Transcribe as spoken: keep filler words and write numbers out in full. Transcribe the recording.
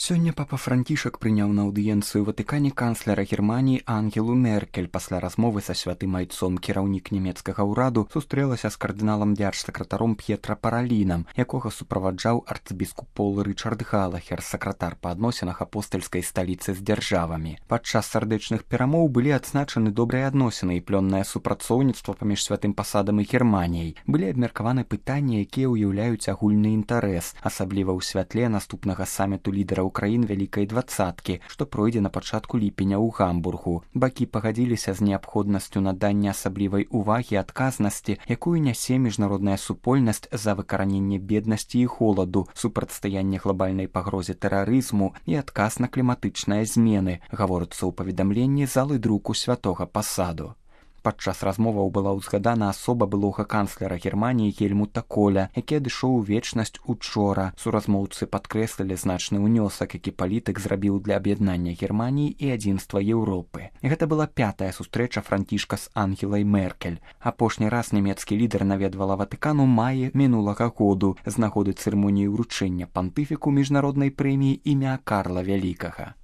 Сёння папа Францішак прыняў на аўдыенцыю ў Ватыкане канцлера Германіі Ангелу Меркель. Пасля размовы са святым айцом кіраўнік нямецкага ўраду сустрэлася з кардыналам дзяржсакратаром П'етра Паралінам, якога суправаджаў арцыбіскуп Пол Рычард Галахер, сакратар па адносінах апостальскай сталіцы з дзяржавамі. Падчас сардэчных перамоў былі адзначаны добрыя адносіны і плённае супрацоўніцтва паміж святым пасадам і Германіяй. Былі абмеркаваны пытанні, якія ўяўляюць агульны інтарэс, асабліва ў святле наступнага саміту лідараў краін вялікай дваццаткі, што пройдзе на пачатку ліпеня ў Гамбургу. Бакі пагадзіліся з неабходнасцю надання асаблівай увагі адказнасці, якую нясе міжнародная супольнасць за выкараненне беднасці і холаду, супрацьстаянне глобальнай пагрозе тэрарызму і адказ на кліматычныя змены, гаворыцца ў паведамленні залы друку святога пасаду. Падчас размоваў была ўзгадана асоба былога канцлера Германіі Гельмута Коля, які адышоў у вечнасць учора. Суразмоўцы падкрэслілі значны ўнёсак, які палітык зрабіў для аб'яднання Германіі і адзінства Еўропы. Гэта была пятая сустрэча Францішка з Ангелай Меркель. Апошні раз нямецкі лідар наведвала Ватыкан у маі мінулага году з нагоды цырымоніі ўручэння пантыфіку міжнароднай прэміі імя Карла Вялікага.